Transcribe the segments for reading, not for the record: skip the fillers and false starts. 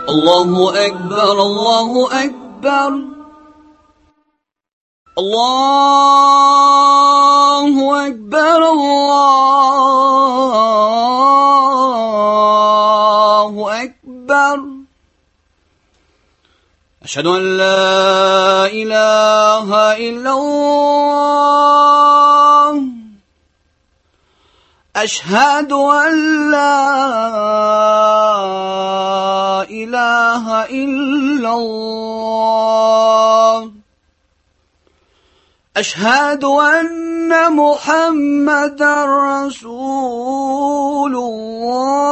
الله أكبر الله أكبر الله أكبر الله أكبر أشهد أن لا إله إلا الله أشهد أن لا إله إلا الله أشهد أن محمدا رسول الله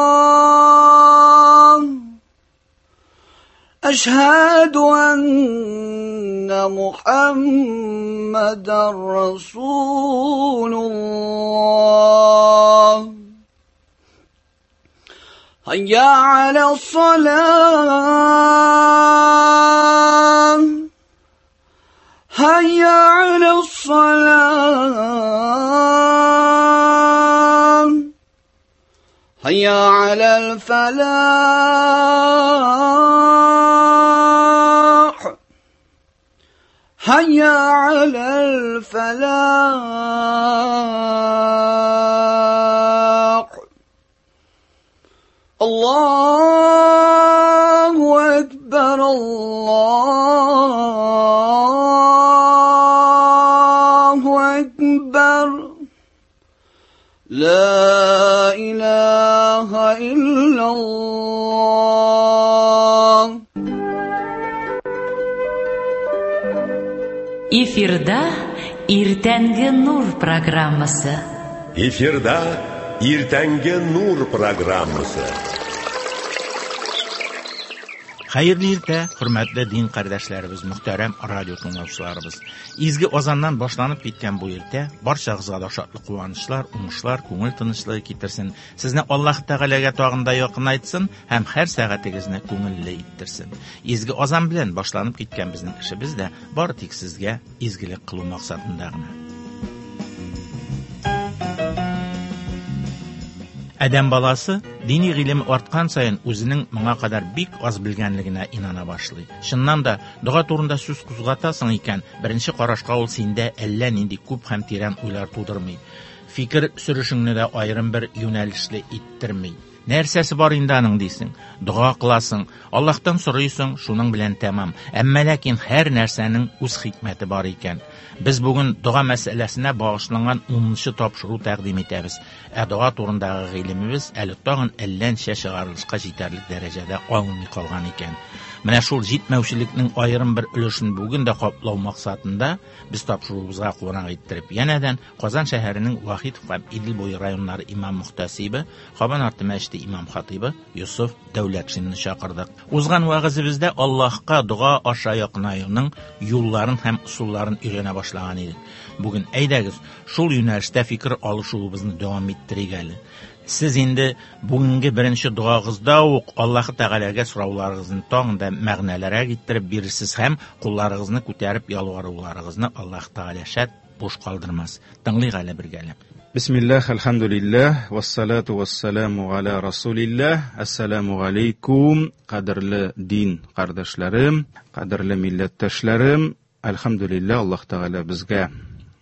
أشهد أن محمدا رسول الله هيا على الصلاة هيا على الصلاة هيا على الفلاح هيا على الفلاح الله أكبر الله أكبر لا إله إلا الله. Эфирда Иртәнге нур программасы. Эфирда Иртәнге нур программасы. Хәерле иртә, хөрмәтле дин кардәшләребез, мөхтәрәм радио тыңлаучыларыбыз. Изге азаннан башланып киткән бу иртә барчагызга да шатлык, куанычлар, уңышлар, күңел тынычлыгы китерсен. Сезне Аллаһ Тәгаләгә тагын да якынайтсын һәм һәр сәгатегезне күңелле иттерсен. Изге азан белән башланып киткән безнең эшебез дә бары тик сезгә изгелек кылу максатында гына. Адәм баласы дини гыйлем арткан саен үзенең моңа кадәр бик аз белгәнлегенә инана башлый. Чыннан да, дога турында сүз кузгатасың икән, беренче карашка ул синдә әллә нинди күп һәм тирән уйлар тудырмый. Фикер сөрешеңне дә аерым бер юнәлешле иттерми. Нәрсәсе бар инде аның дисең? Дога кыласың, Аллаһтан сорыйсың, шуның белән тәмам. Әмма ләкин һәр нәрсәнең үз хикмәте бар икән. Без бүген дога мәсьәләсенә багышланган 10нчы тапшыру тәкъдим итәбез. Ә дога турындагы гыйлемебез әле тагын әллә ничә чыгарылышка җитәрлек дәрәҗәдә алынмый калган икән. Менә шул җитмәүчелекнең аерым бер өлешен бүген дә каплау максатында без тапшыруыбызга кунак иттереп, янәдән Казан шәһәренең Вахитов һәм Идел буе районнары имам мөхтәсибе, Кабан арты мәчете имам хатибы Йосыф Дәүләтшинны чакырдык. Узган вәгазебездә Аллаһка дога аша якынаюның юлларын һәм ысулларын өйрәнә башлаган идек. Бүген әйдәгез, шул юнәлештә фикер алышуыбызны дәвам иттерик әле. Сез инде бүгенге беренче догагызда ук Аллаһ Тәгаләгә сорауларыгызны тагын да мәгънәлерәк иттереп бирерсез һәм кулларыгызны күтәреп ялваруларыгызны Аллаһ Тәгалә шәт буш калдырмас. Тыңлыйк әле бергәләп. Бисмиллах, әлхәмдүлилләһ, вассалату вассаламу аля расулилләһ. Ассаламу алейкум, кадерле дин кардәшләрем, кадерле милләттәшләрем. Әлхәмдүлилләһ, Аллаһ Тәгалә безгә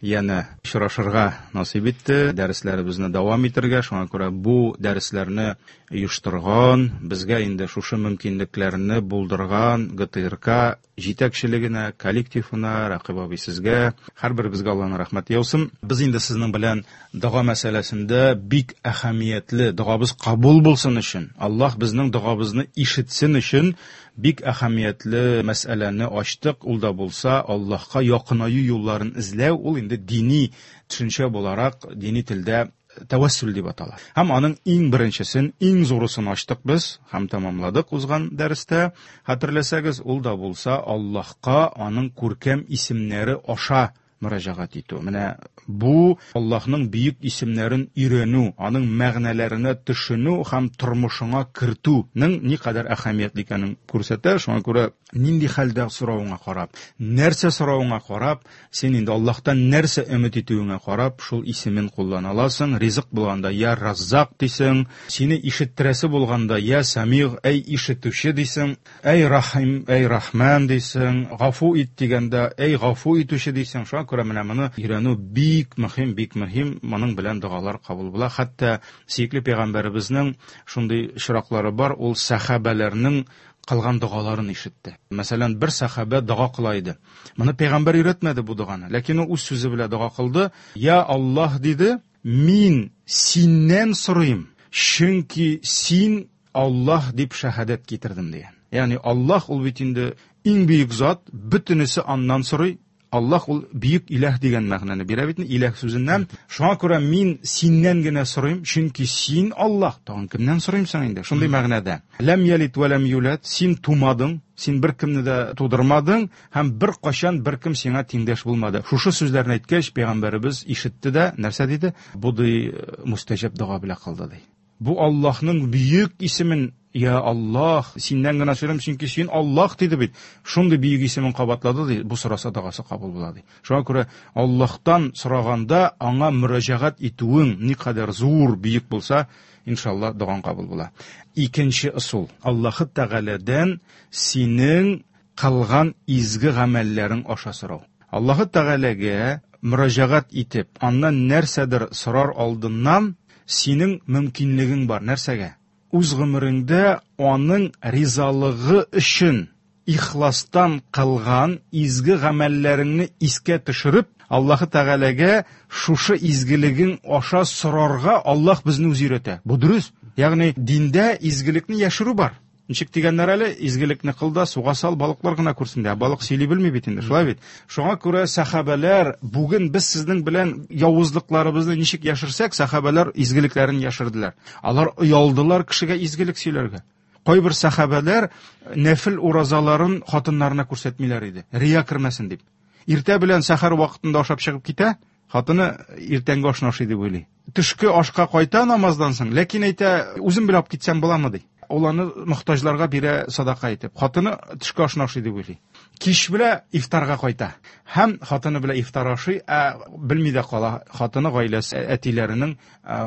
янә очрашырга насыйп итте, дәресләребезне дәвам итәргә. Шуңа күрә бу дәресләрне оештырган, безгә инде шушы мөмкинлекләрне булдырган ГТРК җитәкчелегенә, коллективына, Рәкыйп абый сезгә, һәрберебезгә Аллаһның рәхмәте яусын. Без инде сезнең белән дога мәсьәләсендә бик әһәмиятле, догабыз кабул булсын өчен, Аллаһ безнең догабызны ишетсен өчен бик әһәмиятле мәсьәләне ачтык. Ул да булса Аллаһка якынаю юлларын эзләү, ул инде дини төшенчә буларак, дини телдә тәвәссүл дип атала. Һәм аның иң беренчесен, иң зурысын ачтык без һәм тәмамладык узган дәрестә. Хәтерләсәгез, ул да булса Аллаһка аның күркәм исемнәре аша мөрәҗәгать итү. Менә бу Аллаһның бөек исемнәрен өйрәнү, аның мәгънәләренә төшенү һәм тормышыңа кертүнең никадәр әһәмиятле икәнен күрсәтә. Шуңа күрә нинди хәлдә соравыңа карап, нәрсә соравыңа карап, син инде Аллаһтан нәрсә өмет итүеңә карап, шул исемен куллана аласың. Ризык булганда я Раззак дисең, сине ишеттерәсе булганда я Самиг, әй ишетүче дисең, әй Рахим, әй Рахман дисең, гафу ит дигәндә, әй гафу итүче дисең. Шуңа күрә менә моны өйрәнү бик мөһим, бик мөһим. Моның белән догалар кабул була. Хәтта сөекле пәйгамбәребезнең шундый очраклары бар, ул сәхабәләрнең кылган догаларын ишетте. Мәсәлән, бер сәхабә дога кыла иде. Моны пәйгамбәр өйрәтмәде бу доганы, ләкин ул үз сүзе белән дога кылды. Я Аллаһ диде, мин синнән сорыйм, чөнки син Аллаһ дип шәһадәт китердем дигән. Ягъни Аллаһ ул бит инде иң бөек зат, бөтенесе аннан сорый. Аллаһ ул бөек иләһ дигән мәгънәне бирә бит иләһ сүзеннән. Шуңа күрә мин синнән генә сорыйм, чөнки син Аллаһ. Тагын кемнән сорыйм соң инде? Шундый мәгънәдә. Ләм ялид вә ләм юлад, син тумадың, син беркемне дә тудырмадың һәм беркайчан беркем сиңа тиңдәш булмады. Шушы сүзләрне әйткәч, пәйгамбәребез ишетте дә, нәрсә диде? Бу ди мустәҗаб дога белә кылды ди. Бу Аллаһның бөек исемен, Я Аллаһ, синнән генә сорыйм, чөнки син Аллаһ диде бит. Шундый бөек исемен кабатлады ди, бу сораса догасы кабул була ди. Шуңа күрә Аллаһтан сораганда аңа мөрәҗәгать итүең никадәр зур, бөек булса, иншалла догаң кабул була. Икенче ысул, Аллаһы Тәгаләдән синең кылган изге гамәлләрең аша сорау. Аллаһы Тәгаләгә мөрәҗәгать итеп, аннан нәрсәдер сорар алдыннан синең мөмкинлегең бар. Нәрсәгә? Үз гомереңдә аның ризалыгы өчен ихластан кылган изге гамәлләреңне искә төшереп, Аллаһы Тәгаләгә шушы изгелегең аша сорарга Аллаһ безне үзе өйрәтә. Бу дөрес. Ягъни диндә изгелекне яшерү бар. Ничек дигәннәр әле, изгелекне кыл да суга сал, балыклар гына күрсен дә. Балык сөйли белми бит инде, шулай бит? Шуңа күрә сәхабәләр, бүген без сезнең белән явызлыкларыбызны ничек яшерсәк, сәхабәләр изгелекләрен яшерделәр. Алар оялдылар кешегә изгелек сөйләргә. Кайбер сәхабәләр нәфил уразаларын хатыннарына күрсәтмиләр иде, рия кермәсен дип. Иртә белән сәхәр вакытында ашап чыгып китә, хатыны иртәнге ашны ашый дип уйлый. Төшке ашка кайта намаздан соң, ләкин әйтә, үзем белән алып китсәм буламы ди. Ул аны мохтаҗларга бирә садака итеп. Хатыны төшке ашны ашый дип уйлый. Кич белә ифтарга кайта. Һәм хатыны белән ифтар ашый, ә белми дә кала хатыны гаиләсе әтиләренең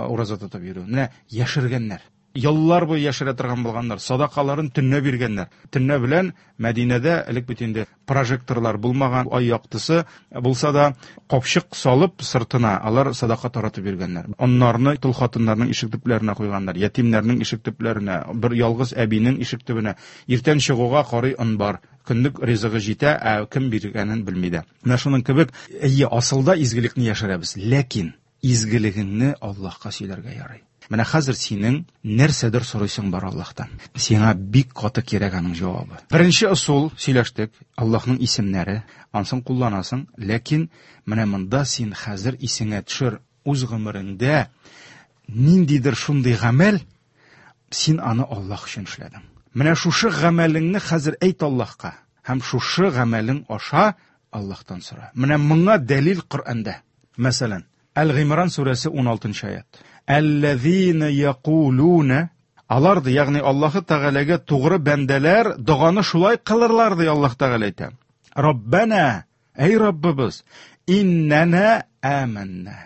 ураза тотып йөрүен. Менә яшергәннәр. Еллар буе яшерә торган булганнар, садакаларын төнлә биргәннәр. Төнлә белән Мәдинәдә элек бит инде прожекторлар булмаган, ай яктысы булса да, капчык салып сыртына алар садака таратып йөргәннәр. Оннарны тол хатыннарның ишек төпләренә куйганнар, ятимнәрнең ишек төпләренә, бер ялгыз әбинең ишек төбенә. Иртән чыгуга карый он бар, көнлек ризыгы җитә, ә кем биргәнен белми дә. Менә шуның кебек, әйе, асылда изгелекне яшерәбез, ләкин изгелегеңне Аллаһка сөйләргә ярый. Менә хәзер синең нәрсәдер сорыйсың бар Аллаһтан. Сиңа бик каты кирәк аның җавабы. Беренче ысул сөйләштек, Аллаһның исемнәре, ансын кулланасың, ләкин менә монда син хәзер исеңә төшер, үз гомереңдә ниндидер шундый гамәл, син аны Аллаһ өчен эшләдең. Менә шушы гамәлеңне хәзер әйт Аллаһка һәм шушы гамәлең аша Аллаһтан сора. Менә моңа дәлил Коръәндә. Мәсәлән, Әл-Гыймран сүрәсе 16 аят. Әлләзина якулуна Алар ди, ягъни Аллаһы Тәгаләгә тугры бәндәләр доганы шулай кылырлар ди Аллаһ Тәгалә әйтә. Раббана, әй Раббыбыз, иннәнә аманна.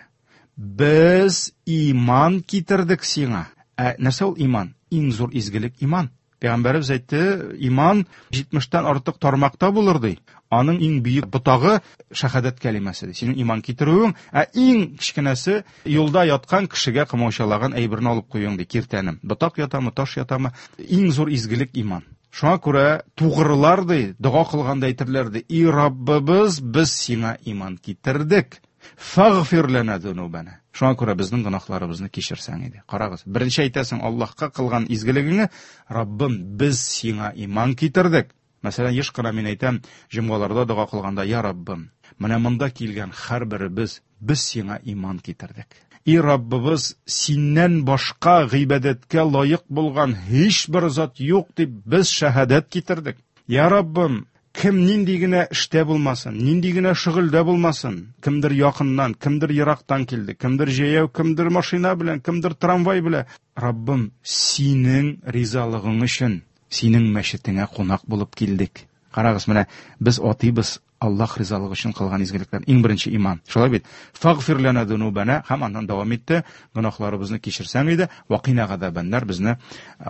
Без иман китердек сиңа. Ә нәрсә ул иман? Иң зур изгелек иман. Пәйгамбәребез әйтте, иман 70-тән артык тармакта булыр ди. Аның иң бөек ботагы шәһадәт кәлимәсе ди. Синең иман китерүең, ә иң кечкенәсе юлда яткан кешегә комаучалаган әйберне алып куюың ди, киртәне. Ботак ятамы, таш ятамы, иң зур изгелек иман. Шуңа күрә тугрылар ди, дога кылганда әйтерләр ди, и Раббыбыз, без сиңа иман китердек. Фагфир лана зунубана. Шуңа күрә безнең гөнаһларыбызны кичерсәң иде. Карагыз, беренче әйтәсең Аллаһка кылган изгелегеңне, Раббым, без сиңа иман китердек. Мәсәлән, еш кына мин әйтәм, җомгаларда дога кылганда, я Раббым, менә монда килгән һәрберебез без сиңа иман китердек. И Раббыбыз, синнән башка гыйбадәткә лаек булган һичбер зат юк дип без шәһадәт китердек. Я Раббым, Кем нинди генә эштә булмасын, нинди генә шөгыльдә булмасын, кемдер якыннан, кемдер ерактан килде, кемдер җәяү, кемдер машина белән, кемдер трамвай белән. Раббым, синең ризалыгың өчен синең мәчетеңә кунак булып килдек. Карагыз, менә без атыйбыз Аллаһ ризалыгы өчен кылган изгелекләр. Иң беренче иман. Шулай бит? Фагфир лана дунубана һәм аннан дәвам итте. Гөнаһларыбызны кичерсәң иде, вакина газабаннар, безне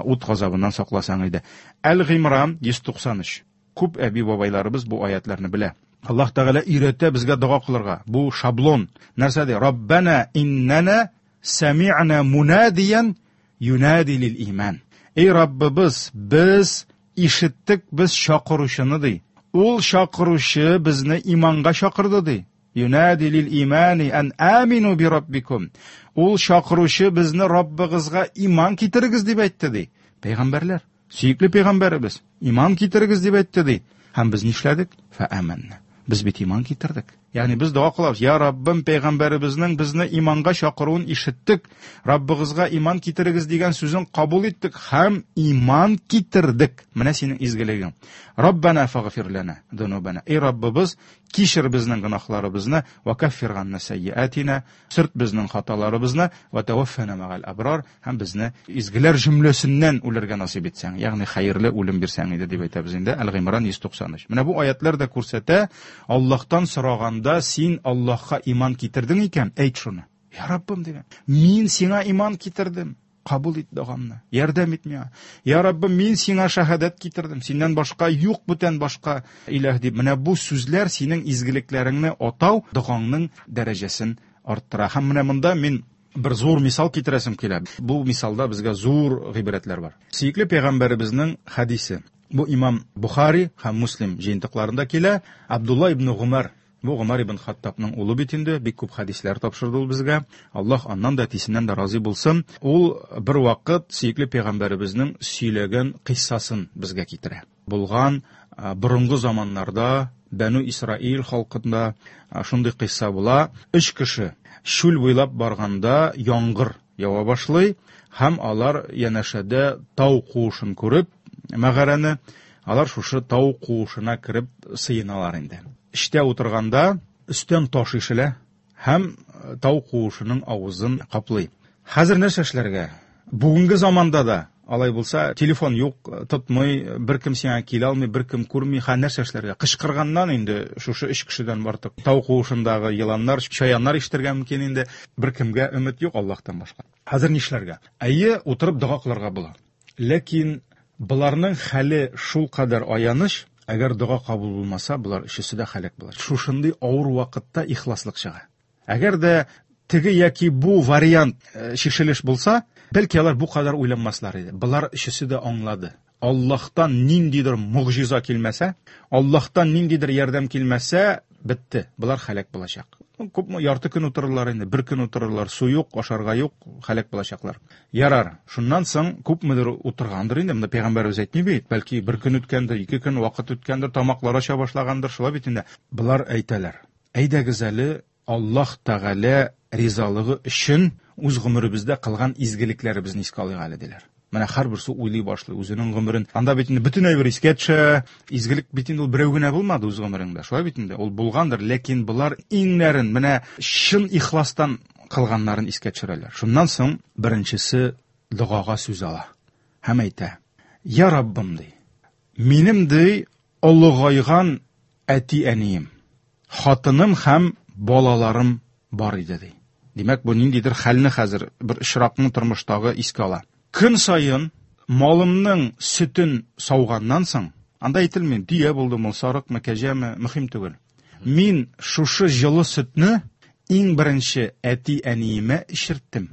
ут газабыннан сакласаң иде. Әл-Гыймран 193. Күп әби-бабайларыбыз бу аятларны белә. Аллаһ Тәгалә өйрәтә безгә дога кылырга. Бу шаблон. Нәрсә ди? Раббана иннана сами'на мунадиян юнади лил иман. Эй Раббыбыз, без ишеттек без чакыручыны ди. Ул чакыручы безне иманга чакырды ди. Юнади лил имани ан амину би раббикум. Ул чакыручы безне Раббыгызга иман китерегез дип әйтте ди. Пәйгамбәрләр, сөекле пәйгамбәребез, иман китерегез дип әйтте ди. Һәм без нишләдек? Фа аманна. Без бит иман китердек. Ягъни без дога кылабыз. Я Раббым, пәйгамбәребезнең безне иманга чакыруын ишеттек. Раббыгызга иман китерегез дигән сүзен кабул иттек һәм иман китердек. Менә синең изгелегең. Раббана фагфир лана дунубана. Эй Раббыбыз, кичер безнең гөнаһларыбызны, ва каффир ганна сайyiатина, сөрт безнең хаталарыбызны, ва таваффана мәгал абрар, һәм безне изгеләр җөмләсеннән үләргә насыйп итсәң, ягъни хәерле үлем бирсәң иде дип әйтәбез инде. Әл-Гыймран 193. Менә бу аятлар да күрсәтә, Аллаһтан сораганда син Аллаһка иман китердең икән, әйт шуны. Я Раббым дигән, мин сиңа иман китердем. Кабул ит догамны, ярдәм ит миңа. Я Раббым, мин сиңа шаһадәт китердем. Синнән башка юк бүтән башка илаһ дип. Менә бу сүзләр синең изгелекләреңне атау догаңның дәрәҗәсен арттыра. Һәм менә монда мин бер зур мисал китерәсем килә. Бу мисалда безгә зур гыйбрәтләр бар. Сөекле пәйгамбәребезнең хәдисе. Бу имам Бухари һәм Муслим җыентыкларында килә. Абдулла ибн Гумар, бу Гумар ибн Хаттабның улы бит инде, бик күп хәдисләр тапшырды ул безгә. Аллаһ аннан да, әтисеннән дә разый булсын. Ул бер вакыт сөекле пәйгамбәребезнең сөйләгән кыйссасын безгә китерә. Булган борынгы заманнарда Бәну Исраил халкында шундый кыйсса була. Өч кеше чүл буйлап барганда яңгыр ява башлый һәм алар янәшәдә тау куышын күреп, мәгарәне, алар шушы тау куышына кереп сыеналар инде. Эчтә утырганда өстән таш ишелә һәм тау куышының авызын каплый. Хәзер нәрсә эшләргә? Бүгенге заманда да алай булса, телефон юк, тотмый, бер кем сиңа килә алмый, бер кем күрми, ха нәрсә эшләргә? Кычкырганнан инде шушы өч кешедән артык тау куышындагы еланнар, чаяннар ишетергә мөмкин инде. Бер кемгә өмет юк Аллаһтан башка. Хәзер нишләргә? Әйе, утырып дога кылырга була. Ләкин боларның хәле шул кадәр аяныч, әгәр дога кабул булмаса, болар өчесе дә һәлак була. Шушындый авыр вакытта ихласлык чыга. Әгәр дә теге яки бу вариант чишелеш булса, бәлки алар бу кадәр уйланмаслар иде. Болар өчесе дә аңлады. Аллаһтан ниндидер могҗиза килмәсә, Аллаһтан ниндидер ярдәм килмәсә, бетте. Болар һәлак булачак. Күпме ярты көн утырырлар инде, бер көн утырырлар, су юк, ашарга юк, һәлак булачаклар. Ярар, шуннан соң күпмедер утыргандыр инде, монда пәйгамбәребез әйтми бит, бәлки бер көн үткәндер, ике көн вакыт үткәндер, тамаклар ача башлагандыр, шулай бит инде. Болар әйтәләр: Әйдәгез әле Аллаһ Тәгалә ризалыгы өчен үз гомеребездә кылган изгелекләребезне искә алыйк әле, диләр. Менә һәрберсе уйлый башлый үзенең гомерен. Анда бит инде бөтен әйбер искә төшә. Изгелек бит инде ул берәү генә булмады үз гомереңдә. Шулай бит инде, ул булгандыр, ләкин болар иңнәрен менә чын ихластан кылганнарын искә төшерәләр. Шуннан соң беренчесе догага сүз ала һәм әйтә: "Я Раббым, ди, минем ди олыгайган әти-әнием, хатыным һәм балаларым бар иде, ди. Димәк, бу ниндидер хәлне хәзер, бер очракны тормыштагы искә ала. Көн саен малымның сөтен сауганнан соң, анда әйтелми, дөя булдымы, сарыкмы, кәҗәме, мөһим түгел. Мин шушы җылы сөтне иң беренче әти-әниемә эчерттем.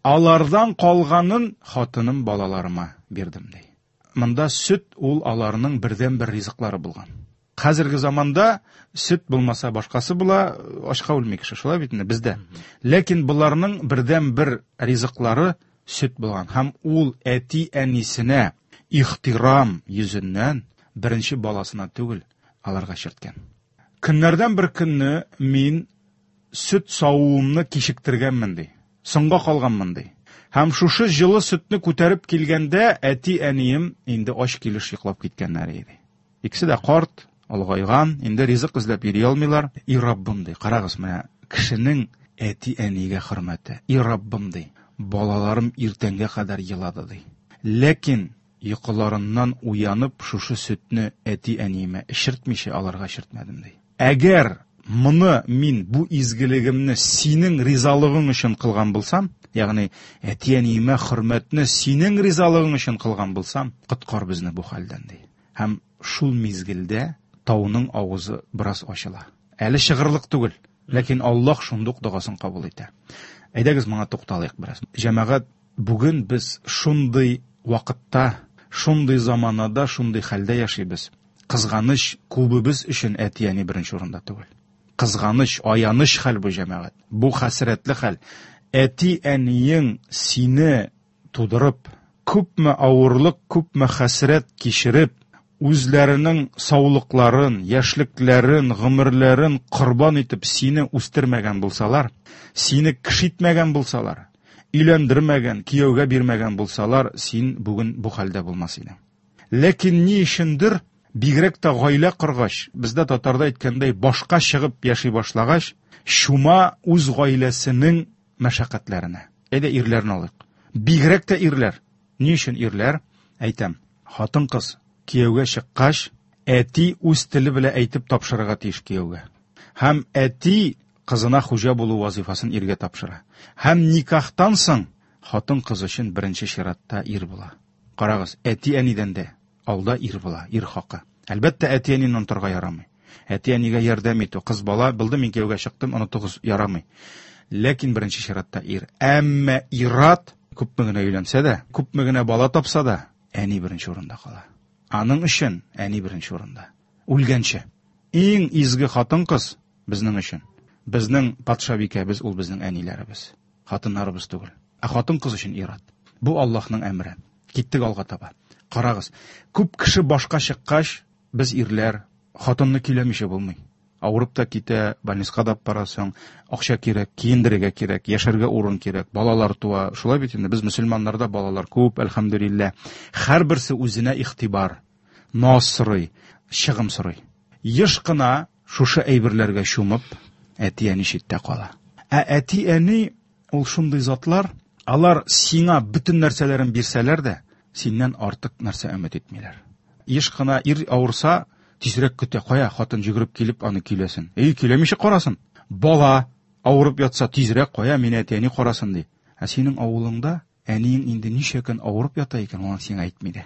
Алардан калганын хатыным, балаларыма бирдем, ди. Монда сөт ул аларның бердәнбер ризыклары булган. Хәзерге заманда сөт булмаса башкасы була, ачка үлми кеше, шулай бит инде бездә. Ләкин боларның бердәнбер ризыклары сөт булган һәм ул әти-әнисенә ихтирам йөзеннән беренче баласына түгел, аларга чирткән. Көннәрдән бер көнне мин сөт савуымны кичектергәнмен, ди. Соңга калганмын, ди. Һәм шушы җылы сөтне күтәреп килгәндә әти-әнием инде ач килеш йоклап киткәннәр иде. Икесе дә карт, Олыгайган, инде ризык эзләп йөри алмыйлар. И Раббым, ди, карагыз, менә кешенең әти-әнигә хөрмәте. И Раббым, ди, балаларым иртәнгә кадәр елады, ди. Ләкин йокыларыннан уянып, шушы сөтне әти-әниемә эчертмичә аларга эчертмәдем, ди. Әгәр моны мин бу изгелегемне синең ризалыгың өчен кылган булсам, ягъни әти-әниемә хөрмәтне синең ризалыгың өчен кылган булсам, коткар безне бу хәлдән, ди. Һәм шул мизгелдә тауның авызы бераз ачыла. Әле чыгырлык түгел, ләкин Аллаһ шундук догасын кабул итә. Әйдәгез моңа тукталыйк бераз. Җәмәгать, бүген без шундый вакытта, шундый заманада, шундый хәлдә яшибез. Кызганыч, күбебез өчен әти-әни беренче урында түгел. Кызганыч, аяныч хәл бу, җәмәгать. Бу хәсрәтле хәл. Әти-әниең сине тудырып, күпме авырлык, күпме хәсрәт кичереп, үзләренең саулыкларын, яшьлекләрен, гомерләрен корбан итеп сине үстермәгән булсалар, сине кеше итмәгән булсалар, өйләндермәгән, кияүгә бирмәгән булсалар, син бүген бу хәлдә булмас идең. Ләкин ни өчендер, бигрәк тә гаилә коргач, бездә татарда әйткәндәй, башка чыгып яши башлагач, чума үз гаиләсенең мәшәкатьләренә. Әйдә ирләрне алыйк. Бигрәк тә ирләр. Ни өчен ирләр? Әйтәм, хатын-кыз кияүгә чыккач, әти үз теле белән әйтеп тапшырырга тиеш кияүгә. Һәм әти кызына хуҗа булу вазифасын иргә тапшыра. Һәм никахтан соң хатын-кыз өчен беренче чиратта ир була. Карагыз, әти-әнидән дә алда ир була, ир хакы. Әлбәттә, әти-әнине онытырга ярамый. Әти-әнигә ярдәм итү, кыз бала, булды, мин кияүгә чыктым, онытыгыз, ярамый. Ләкин беренче чиратта ир. Әмма ир-ат күпме генә өйләнсә дә, күпме генә бала тапса да, әни беренче урында кала. Аның өчен әни беренче урында. Үлгәнче. Иң изге хатын-кыз безнең өчен. Безнең патшабикәбез ул безнең әниләребез. Хатыннарыбыз түгел. Ә хатын-кыз өчен ир-ат. Бу Аллаһның әмере. Киттек алга таба. Карагыз, күп кеше башка чыккач, без ирләр, хатынны көйләмичә булмый. Авырып та китә, больницага да барасың, акча кирәк, киендерергә кирәк, яшәргә урын кирәк, балалар туа. Шулай бит инде, без мөселманнарда балалар күп, әлхәмдүлилләһ. Һәрберсе үзенә игътибар, наз сорый, чыгым сорый. Еш кына шушы әйберләргә чумып, әти-әни читтә кала. Ә әти-әни ул шундый затлар, алар сиңа бөтен нәрсәләрен бирсәләр дә, синнән артык нәрсә өмет итмиләр. Еш кына ир авырса, тизрәк көтә, кая хатын йөгереп килеп аны көйләсен. Эй, көйләмичә карасын. Бала авырып ятса, тизрәк кая мине әти-әни карасын ди. Ә синең авылыңда әниең инде ничә көн авырып ята икән, аны сиңа әйтми дә.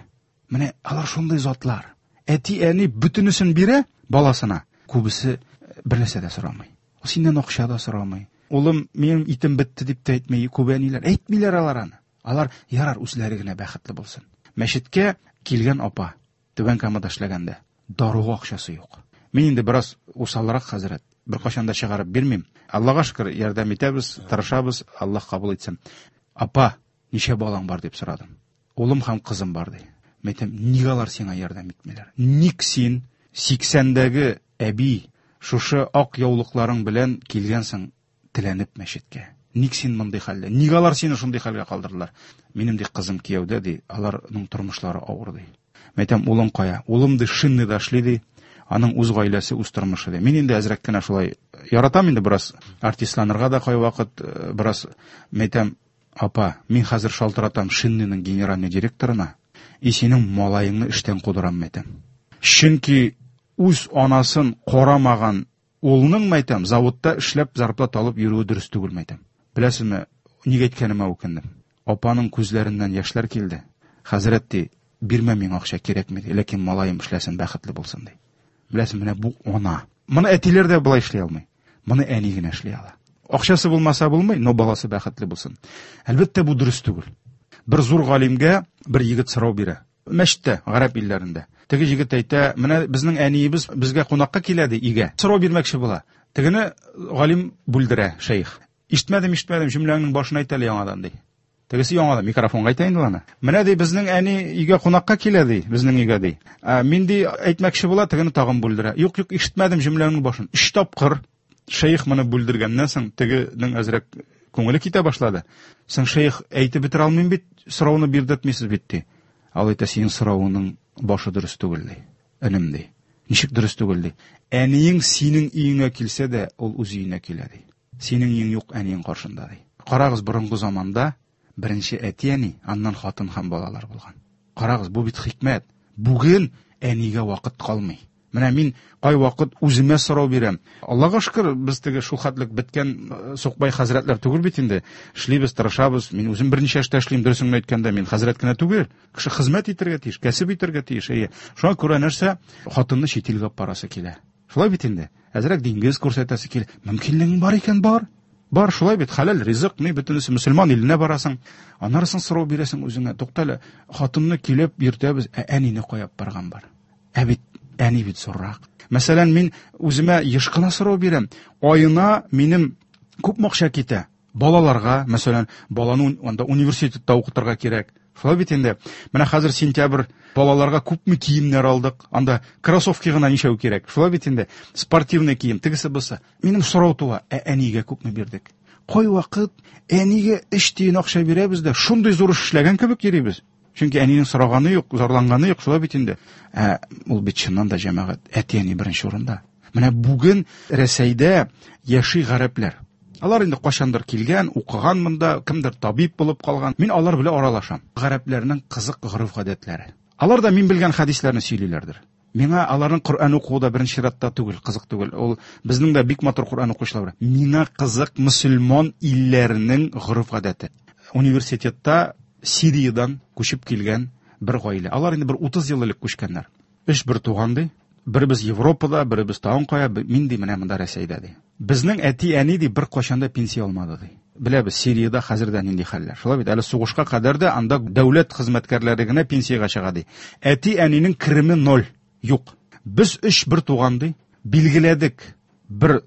Менә алар шундый затлар. Әти-әни бөтенесен бирә баласына. Күбесе бер нәрсә дә сорамый. Ул синнән акча да сорамый. Улым, минем итем бетте дип тә әйтми. Күп әниләр әйтмиләр алар аны. Алар ярар үзләре генә бәхетле булсын. Мәчеткә килгән апа Түбән Камада эшләгәндә даруга акчасы юк. Мин инде бераз усалрак хәзрәт. Беркайчан да чыгарып бирмим. Аллага шөкер, ярдәм итәбез, тырышабыз, Аллаһ кабул итсен. Апа, ничә балаң бар дип сорадым. Улым һәм кызым бар ди. Мин әйтәм, ник алар сиңа ярдәм итмиләр? Ник син 80-дәге әби шушы ак яулыкларың белән килгәнсең теләнеп мәчеткә? Ник син мондый хәлдә? Ник алар сине шундый хәлгә калдырдылар? Минем ди кызым кияүдә ди, аларның тормышлары авыр ди. Мин әйтәм, улың кая? Улым ди шинныйда эшли ди. Аның үз гаиләсе, үз тормышы ди. Мин инде әзрәк кенә шулай яратам инде бераз артистланырга да кайвакыт, бераз, мин әйтәм, апа, мин хәзер шалтыратам Шинныйның генеральный директорына, и синең малаеңны эштән кудырам, мәйтәм. Чөнки үз анасын карамаган улның, мәйтәм, заводта эшләп зарплата алып йөрүе дөрес түгел, мәйтәм. Беләсезме, ник әйткәнемә үкендем. Апаның күзләреннән яшьләр килде. Хәзрәт ди, бирмә миңа акча кирәкми ди, ләкин малаем эшләсен, бәхетле булсын ди. Беләсең, менә бу ана. Моны әтиләр дә болай эшли алмый. Моны әни генә эшли ала. Акчасы булмаса булмый, но баласы бәхетле булсын. Әлбәттә, бу дөрес түгел. Бер зур галимгә бер егет сорау бирә. Мәчеттә, гарәп илләрендә. Теге егет әйтә, менә безнең әниебез безгә кунакка килә ди, өйгә. Сорау бирмәкче була. Тегене галим бүлдерә, шәех. Ишетмәдем, ишетмәдем, җөмләңнең башын әйт әле яңадан ди. Тегесе яңадан микрофонга әйтә инде аны. Менә ди, безнең әни өйгә кунакка килә ди, безнең өйгә ди. Ә, мин ди әйтмәкче була, тегене тагын бүлдерә. Юк, юк, ишетмәдем җөмләңнең башын. Өч тапкыр шәех моны бүлдергәннән соң, тегенең әзрәк күңеле китә башлады. Соң шәех әйтеп бетерә алмыйм бит, сорауны бирдертмисез бит ди. Ал әйтә, синең соравыңның башы дөрес түгел ди. Энем ди. Ничек дөрес түгел ди. Әниең синең өеңә килсә дә, ул үз өенә килә ди. Синең өең юк әниең каршында ди. Карагыз, борынгы заманда беренче әти-әни, аннан хатын һәм балалар булган. Карагыз, бу бит хикмәт. Бүген әнигә вакыт калмый. Менә мин кайвакыт үземә сорау бирәм. Аллага шөкер, без теге шул хәтлек беткән сукбай хәзрәтләр түгел бит инде. Эшлибез, тырышабыз. Мин үзем берничә эштә эшлим, дөресен генә әйткәндә, мин хәзрәт кенә түгел. Кеше хезмәт итәргә тиеш, кәсеп итәргә тиеш. Әйе. Шуңа күрә нәрсә? Хатынны чит илгә алып барасы килә. Шулай бит инде. Әзрәк диңгез күрсәтәсе килә. Мөмкинлегең бар икән, бар. Бар, шулай бит, хәләл ризык, ни бөтенесе мөселман иленә барасың. Аннары соң сорау бирәсең үзеңә. Тукта әле, хатынны килеп йөртәбез, ә әнине кая алып барган бар? Ә бит әни бит зуррак. Мәсәлән, мин үземә еш кына сорау бирәм. Аена минем күпме акча китә? Балаларга, мәсәлән, баланы анда университетта укытырга кирәк. Шулай бит инде. Менә хәзер сентябрь, балаларга күпме киемнәр алдык. Анда кроссовки гына ничәү кирәк. Шулай бит инде. Спортивный кием, тегесе бусы. Минем сорау туа, ә әнигә күпме бирдек? Кайвакыт әнигә өч тиен акча бирәбез дә, шундый зур эш эшләгән кебек йөрибез. Чөнки әнинең сораганы юк, зарланганы юк, шулай бит инде. Ә ул бит чыннан да, җәмәгать, әти-әни беренче урында. Менә бүген Рәсәйдә яши гарәпләр. Алар инде кайчандыр килгән, укыган монда, кемдер табиб булып калган. Мин алар белән аралашам. Гарәпләрнең кызык гореф-гадәтләре. Алар да мин белгән хәдисләрне сөйлиләрдер. Миңа аларның Коръән укуы да беренче чиратта түгел, кызык түгел. Ул безнең дә бик матур Коръән укучылар бар. Миңа кызык мөселман илләренең гореф-гадәте. Университетта Сириядән күчеп килгән бер гаилә. Алар инде бер 30 ел элек күчкәннәр. Өч бер туган ди. Беребез Европада, беребез тагын кая, мин ди менә монда Рәсәйдә ди. Безнең әти-әни ди беркайчан да пенсия алмады ди. Беләбез, Сириядә хәзер дә нинди хәлләр. Шулай бит, әле сугышка кадәр дә анда дәүләт хезмәткәрләре генә пенсиягә чыга ди. Әти-әнинең кереме ноль, юк. Без өч бер туган ди, билгеләдек бер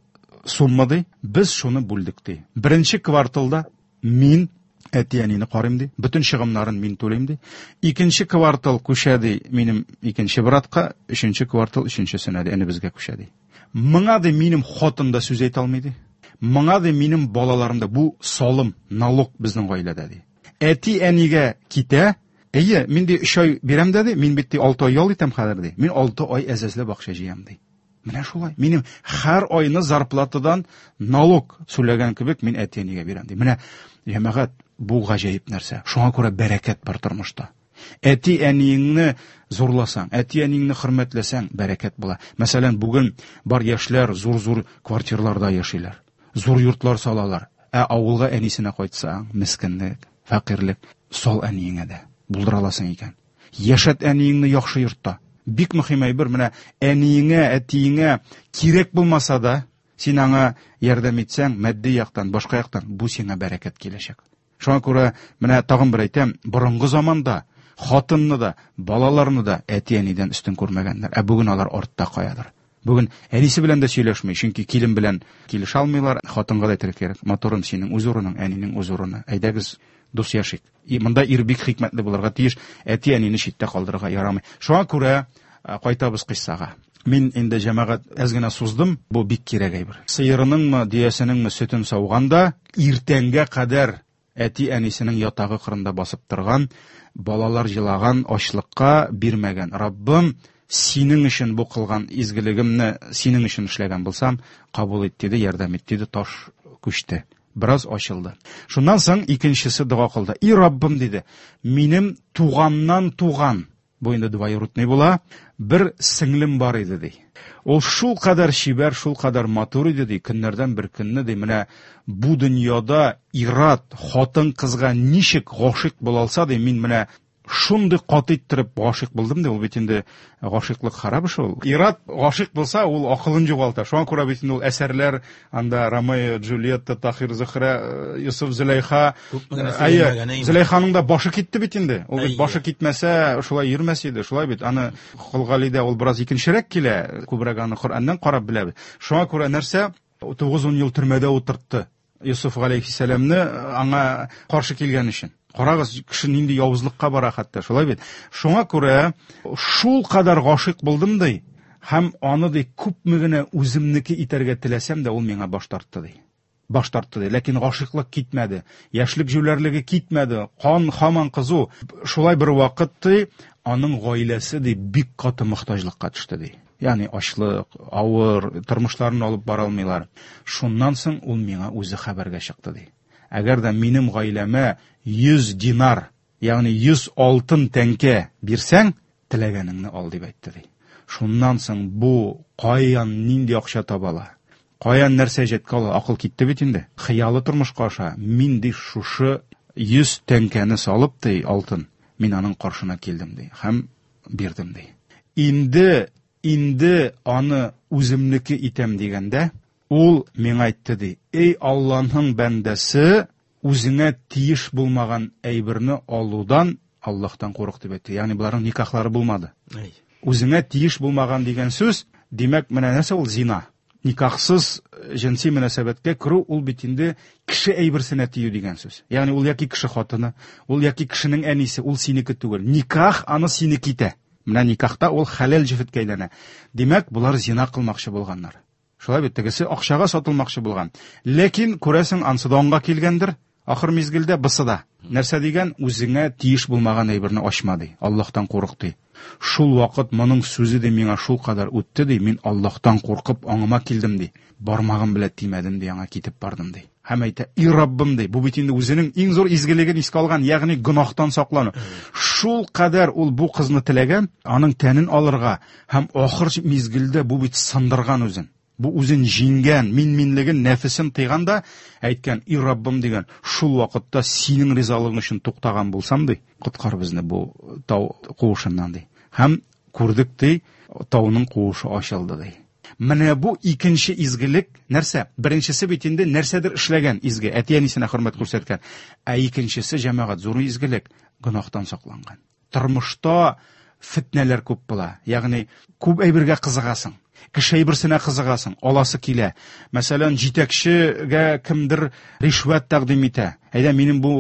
сумма ди, без шуны бүлдек ди. Беренче кварталда мин әти-әнине карыйм ди, бөтен чыгымнарын мин түлим ди. Икенче квартал күчә ди минем икенче братка, өченче квартал өченчесенә ди, энебезгә күчә ди. Моңа ди минем хатын да сүз әйтә алмый ди. Моңа ди минем балаларым да, бу салым, налог безнең гаиләдә ди. Әти-әнигә китә, әйе, мин ди 3 ай бирәм дә ди, мин бит ди 6 ай ял итәм хәзер ди. Мин 6 ай әзәзләп акча җыям ди. Менә шулай. Минем һәр айны зарплатадан налог сүләгән кебек мин әти-әнигә бирәм ди. Менә җәмәгать, бу гаҗәеп нәрсә. Шуңа күрә бәрәкәт бар тормышта. Әти-әниеңне зурласаң, әти-әниеңне хөрмәтләсәң, бәрәкәт була. Мәсәлән, бүген бар яшьләр зур-зур квартирларда яшиләр, зур йортлар салалар. Ә авылга әнисенә кайтсаң, мескенлек, фәкыйрьлек. Сал әниеңә дә, булдыра аласың икән. Яшәт әниеңне яхшы йортта. Бик мөһим әйбер, менә әниеңә, әтиеңә кирәк булмаса да, син аңа ярдәм итсәң, матди яктан, башка яктан, бу сиңа бәрәкәт киләчәк. Шуңа күрә менә тагын бер әйтәм, борынгы заманда хатынны да, балаларны да әти-әнидән өстен күрмәгәннәр. Ә бүген алар артта каядыр. Бүген әнисе белән дә сөйләшми, чөнки килен белән килешә алмыйлар. Хатынга да әйтергә кирәк, матурым, синең үз урының, әнинең үз урыны. Әйдәгез, дус яшик. И монда ир бик хикмәтле булырга тиеш, әти-әнине читтә калдырырга ярамый. Шуңа күрә кайтабыз кыйссага. Мин инде, җәмәгать, әз генә суздым, бу бик кирәк әйбер. Сыерыныңмы, дөясенеңме сөтен сауганда, иртәнгә кадәр әти-әнисенең ятагы кырында басып торган, балалар җылаган, ачлыкка бирмәгән. Раббым, синең өчен бу кылган изгелегемне синең өчен эшләгән булсам, кабул ит, диде, ярдәм ит, диде, таш күчте. Бераз ачылды. Шуннан соң икенчесе дога кылды. И Раббым, диде, минем туганнан туган, бу инде двоюродный була, бер сеңлем бар иде, ди. Ул шул кадәр чибәр, шул кадәр матур иде, ди, көннәрдән бер көнне, ди, менә бу дөньяда ир-ат хатын-кызга ничек гашыйк була алса, ди, мин менә шундый каты иттереп гашыйк булдым, ди, ул бит инде гашыйклык харап эш ул. Ир-ат гашыйк булса, ул акылын югалта. Шуңа күрә бит инде ул әсәрләр, анда Ромео, Джульетта, Тахир, Зөһрә, Йосыф, Зөләйха. Күпме генә Әйе, сөйләнмәгән, әйме? Зөләйханың да башы китте бит инде. Ул бит Әйе. башы китмәсә, шулай йөрмәс иде. Шулай бит. Аны Кол Галидә ул бераз икенчерәк килә, күбрәк аны Коръәннән карап беләбез. Шуңа күрә нәрсә? 9-10 ел төрмәдә утыртты Йосыф галәйһиссәламне аңа каршы килгән өчен. Карагыз, кеше нинди явызлыкка бара хәтта, шулай бит. Шуңа күрә шул кадәр гашыйк булдым ди, һәм аны ди күпме генә үземнеке итәргә теләсәм дә, ул миңа баш тартты ди. Баш тартты ди. Ләкин гашыйклык китмәде. Яшьлек җүләрлеге китмәде. Кан һаман кызу. Шулай бер вакыт ди, аның гаиләсе ди бик каты мохтаҗлыкка төште ди. Ягъни ачлык, авыр, тормышларын алып бара алмыйлар. Шуннан соң ул миңа үзе хәбәргә чыкты, ди. Әгәр дә минем гаиләмә 100 динар, ягъни 100 алтын тәңкә бирсәң, теләгәнеңне ал, дип әйтте, ди. Шуннан соң бу каян нинди акча таба ала? Каян нәрсә җәткә ала? Акыл китте бит инде. Хыялы тормышка аша. Мин, ди, шушы 100 тәңкәне салып, ди, алтын, мин аның каршына килдем, ди, һәм бирдем, ди. Инде, инде аны үземнеке итәм дигәндә, ул миңа әйтте, ди, эй Аллаһның бәндәсе, үзеңә тиеш булмаган әйберне алудан Аллаһтан курык, дип әйтте. Ягъни боларның никахлары булмады. Үзеңә тиеш булмаган дигән сүз, димәк, менә нәрсә ул зина. Никахсыз җенси мөнәсәбәткә керү ул бит инде кеше әйберсенә тию дигән сүз. Ягъни ул яки кеше хатыны, ул яки кешенең әнисе, ул синеке түгел. Никах аны синеке итә. Менә никахта ул хәләл җефеткә әйләнә. Димәк, болар зина кылмакчы булганнар. Шулай бит, тегесе акчага сатылмакчы булган. Ләкин, күрәсең, ансы да аңга килгәндер, ахыр мизгелдә бысы да. Нәрсә дигән, үзеңә тиеш булмаган әйберне ачма, ди. Аллаһтан курык, ди. Шул вакыт моның сүзе ди миңа шул кадәр үтте, ди, мин Аллаһтан куркып аңыма килдем, ди. Бармагым белән тимәдем, ди, аңа китеп бардым, ди. Һәм әйтә, и Раббым, ди, бу бит инде үзенең иң зур изгелеген искә алган, ягъни гөнаһтан саклану. Шул кадәр ул бу кызны теләгән, аның тәнен алырга һәм ахыр мизгелдә бу бит сындырган үзен. Бу үзен җиңгән, мин-минлеген, нәфесен тыйган да, әйткән, и Раббым, дигән, шул вакытта синең ризалыгың өчен туктаган булсам, ди, коткар безне бу тау куышыннан, ди. Һәм күрдек, ди, тауның куышы ачылды, ди. Менә бу икенче изгелек нәрсә? Беренчесе бит инде нәрсәдер эшләгән изге, әти-әнисенә хөрмәт күрсәткән. Ә икенчесе, җәмәгать, зур изгелек, гөнаһтан сакланган. Тормышта фетнәләр күп була. Ягъни күп әйбергә кызыгасың. Кеше әйберсенә кызыгасың, аласы килә. Мәсәлән, җитәкчегә кемдер ришвәт тәкъдим итә. Әйдә, минем бу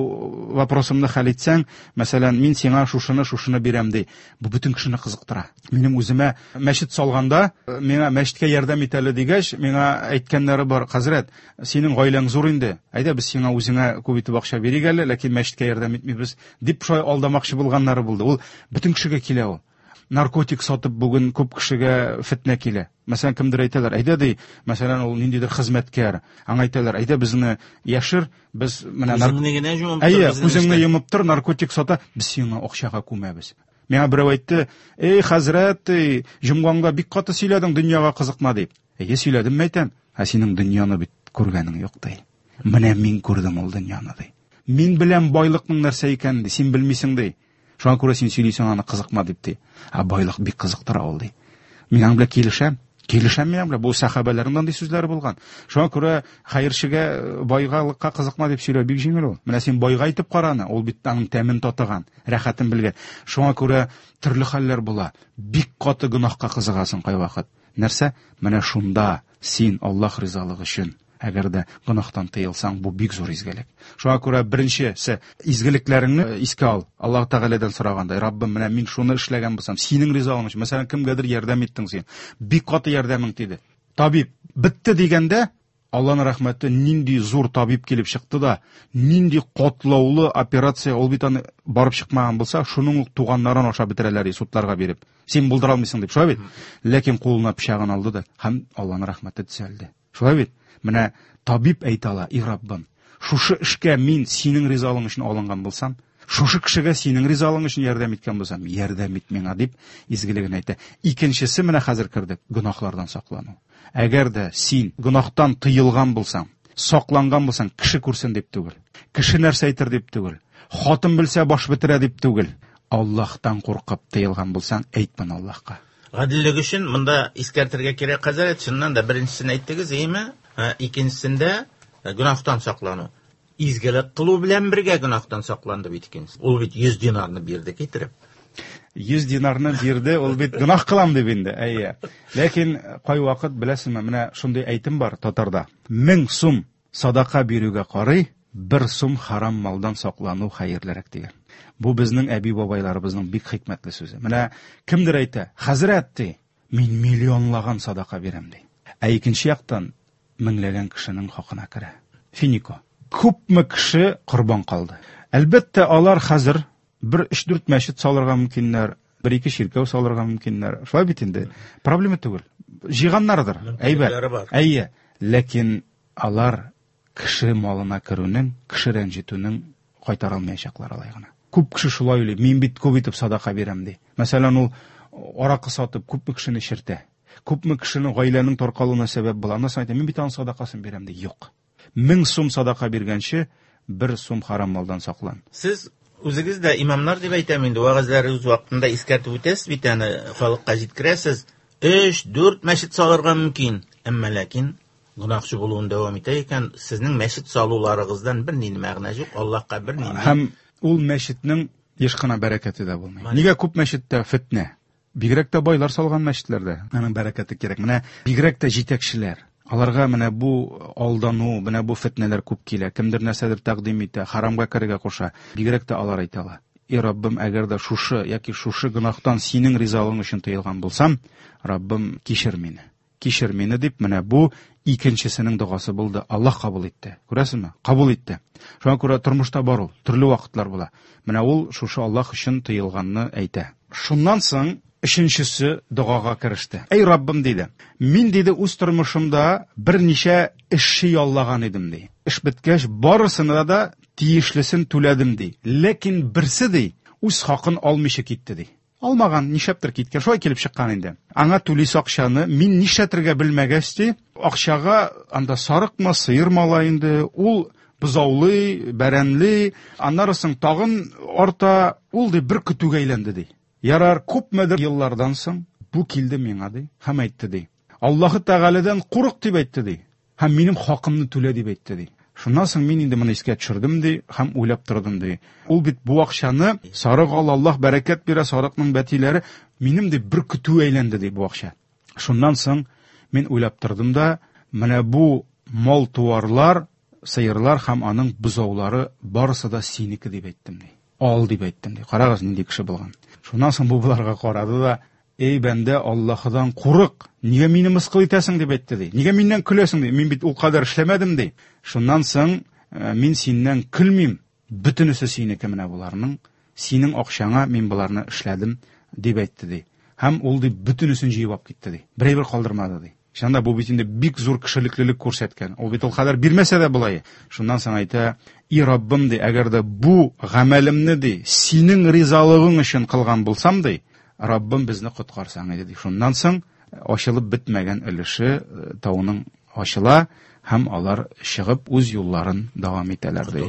вопросымны хәл итсәң, мәсәлән, мин сиңа шушыны, шушыны бирәм, ди. Бу бөтен кешене кызыктыра. Минем үземә мәчет салганда, миңа мәчеткә ярдәм ит әле дигәч, миңа әйткәннәре бар, хәзрәт, синең гаиләң зур инде. Әйдә, без сиңа үзеңә күп итеп акча бирик әле, ләкин мәчеткә ярдәм итмибез, дип шулай алдамакчы булганнары булды. Ул бөтен кешегә килә ул. Наркотик сатып бүген күп кешегә фетнә килә. Мәсәлән, кемдер әйтәләр, әйдә ди, мәсәлән, ул ниндидер хезмәткәр. Аңа әйтәләр, әйдә безне яшер, без менә Үзеңне генә йомып тор, Әйе, үзеңне йомып тор, наркотик сата, без сиңа акчага күмәбез. Миңа берәү әйтте, эй, хәзрәт, эй, җомгаңда бик каты сөйләдең, дөньяга кызыкма дип. Әйе, сөйләдем, әйтәм. Ә синең дөньяны бит күргәнең юк, ди. Менә мин күрдем ул дөньяны, ди. Мин беләм байлыкның нәрсә икәнен, ди, син белмисең, ди. Шуңа күрә син сөйлисең аны кызыкма дип, ди. Ә байлык бик кызыктыра ул, ди. Мин аның белән килешәм. Килешәм мин аның белән. Бу сәхабәләрнең андый сүзләре булган. Шуңа күрә хәерчегә байгалыкка кызыкма дип сөйләү бик җиңел ул. Менә син байга әйтеп кара аны, ул бит аның тәмен татыган, рәхәтен белгән. Шуңа күрә төрле хәлләр була. Бик каты гөнаһка кызыгасың кайвакыт. Нәрсә? Менә шунда син Аллаһ ризалыгы өчен әгәр дә гөнаһтан тыелсаң, бу бик зур изгелек. Шуңа күрә беренчесе изгелекләреңне искә ал. Аллаһ Тәгаләдән сорагандай, Раббым, менә мин шуны эшләгән булсам, синең ризалыгың өчен, мәсәлән, кемгәдер ярдәм иттең син. Бик каты ярдәмең тиде. Табиб бетте дигәндә, Аллаһның рәхмәте, нинди зур табиб килеп чыкты да, нинди катлаулы операция, ул бит аны барып чыкмаган булса, шуның ук туганнарын ашап бетерәләр судларга биреп. Син булдыра алмыйсың дип, шулай бит? Ләкин кулына пычагын алды да һәм Аллаһның рәхмәте төзәлде. Шулай бит? Менә табиб әйтә ала, и Раббым, шушы эшкә мин синең ризалыгың өчен алынган булсам, шушы кешегә синең ризалыгың өчен ярдәм иткән булсам, ярдәм ит миңа дип изгелеген әйтә. Икенчесе менә хәзер кердек, гөнаһлардан саклану. Әгәр дә син гөнаһтан тыелган булсаң, сакланган булсаң, кеше күрсен дип түгел, кеше нәрсә әйтер дип түгел, хатын белсә баш бетерә дип түгел, Аллаһтан куркып тыелган булсаң, әйт моны Аллаһка. Гаделлек өчен монда искәртергә кирәк, хәзрәт, чыннан да беренчесен әйттегез, әйеме? Икенчесендә гөнаһтан саклану. Изгелек кылу белән бергә гөнаһтан сакланды бит икенчесе. Ул бит 100 динарны бирде китереп. 100 динарны бирде, ул бит гөнаһ кылам дип инде, әйе. Ләкин кайвакыт беләсеңме, менә шундый әйтем бар татарда. 1000 сум садака бирүгә карый, 1 сум харам малдан саклану хәерлерәк дигән. Бу безнең әби-бабайларыбызның бик хикмәтле сүзе. Менә кемдер әйтә, хәзрәт ди, мин миллионлаган садака бирәм ди. Ә икенче яктан меңләгән кешенең хакына керә. Финико. Күпме кеше корбан калды. Әлбәттә, алар хәзер бер 3-4 мәчет салырга мөмкиннәр. Бер-ике чиркәү салырга мөмкиннәр. Шулай бит инде. Проблема түгел. Җыйганнардыр. Әйбәт. Әйе. Ләкин алар кеше малына керүнең, кеше рәнҗетүнең кайтара алмаячаклар алай гына. Күп кеше шулай уйлый. Мин бит күп итеп садака бирәм ди. Мәсәлән, ул аракы сатып күпме кешене эчертә. Күпме кешенең гаиләнең таркалуына сәбәп була. Аннан соң әйтә, мин бит аның садакасын бирәм ди. Юк. 1000 сум садака биргәнче, 1 сум харам малдан саклан. Сез үзегез дә имамнар дип әйтәм инде, вәгазьләрегез вакытында искәртеп үтәсез бит аны, халыкка җиткерәсез. 3-4 мәчет салырга мөмкин, әмма ләкин гөнаһчы булуын дәвам итә икән, сезнең мәчет салуларыгыздан бернинди мәгънә юк, Аллаһка бернинди. Һәм ул мәчетнең еш кына бәрәкәте дә булмый. Нигә күп мәчеттә фетнә? Бигрәк тә байлар салган мәчетләрдә аның бәрәкәте кирәк. Менә бигрәк тә җитәкчеләр. Аларга менә бу алдану, менә бу фетнәләр күп килә. Кемдер нәрсәдер тәкъдим итә, харамга керергә куша. Бигрәк тә алар әйтә ала. И Раббым, әгәр дә шушы яки шушы гөнаһтан синең ризалыгың өчен тыелган булсам, Раббым, кичер мине. Кичер мине дип, менә бу икенчесенең догасы булды. Аллаһ кабул итте. Күрәсезме? Кабул итте. Шуңа күрә тормышта бар ул, төрле вакытлар була. Менә ул шушы Аллаһ өчен тыелганны әйтә. Шуннан соң өченчесе догага кереште. Әй Раббым, диде. Мин, диде, үз тормышымда берничә эшче яллаган идем, ди. Эш беткәч, барысына да тиешлесен түләдем, ди. Ләкин берсе, ди, үз хакын алмыйча китте, ди. Алмаган, нишләптер киткән, шулай килеп чыккан инде. Аңа түлисе акчаны мин нишләтергә белмәгәч, ди, акчага анда сарыкмы, сыермы ала инде, ул бозаулый, бәрәнли, аннары соң тагын арта, ул ди бер көтүгә әйләнде ди. Ярар, күпмедер еллардан соң бу килде миңа ди һәм әйтте ди. Аллаһы Тәгаләдән курык дип әйтте ди. Һәм минем хакымны түлә дип әйтте ди. Шуннан соң мин инде моны искә төшердем ди һәм уйлап тордым ди. Ул бит бу акчаны сарык ал, Аллаһ бәрәкәт бирә, сарыкның бәтиләре минем ди бер көтү әйләнде ди бу акча. Шуннан соң мин уйлап тордым да, менә бу мал-туарлар, сыерлар һәм аның бозаулары барысы да синеке дип әйттем ди. Ал дип әйттем ди. Карагыз, нинди кеше булган. Шуннан соң бу боларга карады да, Эй, бәндә, Аллаһыдан курык, нигә мине мыскыл итәсең, дип әйтте ди. Нигә миннән көләсең, ди. Мин бит ул кадәр эшләмәдем, ди. Шуннан соң мин синнән көлмим, бөтенесе синеке менә боларның, синең акчаңа мин боларны эшләдем, дип әйтте ди. Һәм ул ди бөтенесен җыеп алып китте ди. Бер әйбер калдырмады ди. Чыннан да бу бит инде бик зур кешелеклелек күрсәткән. Ул бит ул кадәр бирмәсә дә болай. Шуннан соң әйтә, И Раббым, ди, әгәр дә бу гамәлемне, ди, синең ризалыгың өчен кылган булсам, ди, Раббым безне коткарсаң иде, ди. Шуннан соң ачылып бетмәгән өлеше тауның ачыла һәм алар чыгып үз юлларын дәвам итәләр, ди.